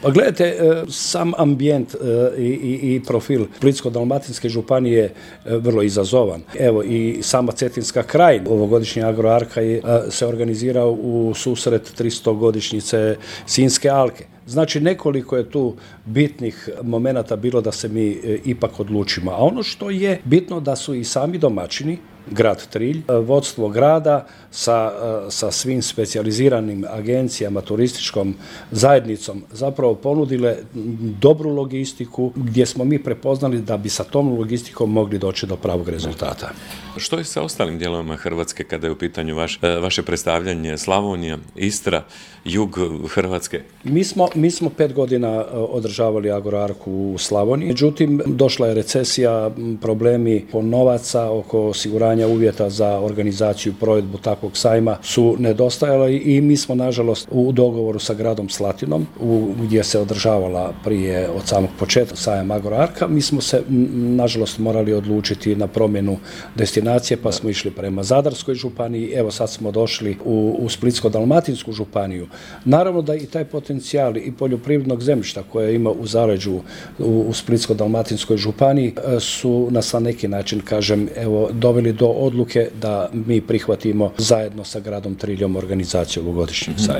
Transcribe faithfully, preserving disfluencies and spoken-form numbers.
Pa gledajte, sam ambijent i, i, i profil Splitsko-dalmatinske županije je vrlo izazovan. Evo i sama Cetinska krajina, ovogodišnji Agroarka se organizirao u susret tristogodišnjice Sinjske alke. Znači nekoliko je tu bitnih momenata bilo da se mi ipak odlučimo. A ono što je bitno da su i sami domaćini, grad Trilj, vodstvo grada sa, sa svim specijaliziranim agencijama, turističkom zajednicom zapravo ponudile dobru logistiku gdje smo mi prepoznali da bi sa tom logistikom mogli doći do pravog rezultata. Što je sa ostalim dijelovima Hrvatske kada je u pitanju vaš, vaše predstavljanje? Slavonija, Istra, jug Hrvatske? Mi smo, mi smo pet godina održavali Agroarku u Slavoniji, međutim došla je recesija, problemi oko novaca, oko osiguranja uvjeta za organizaciju i provedbu takvog sajma su nedostajali i mi smo nažalost u dogovoru sa gradom Slatinom, u, gdje se održavala prije od samog početka sajam Agroarka, mi smo se nažalost morali odlučiti na promjenu destinacije, pa smo išli prema Zadarskoj županiji, evo sad smo došli u, u Splitsko-dalmatinsku županiju. Naravno da i taj potencijal i poljoprivrednog zemljišta koje ima u zaleđu u, u Splitsko-dalmatinskoj županiji su nas na neki način, kažem, evo, doveli do odluke da mi prihvatimo zajedno sa gradom Triljom organizaciju ovogodišnjeg sajma.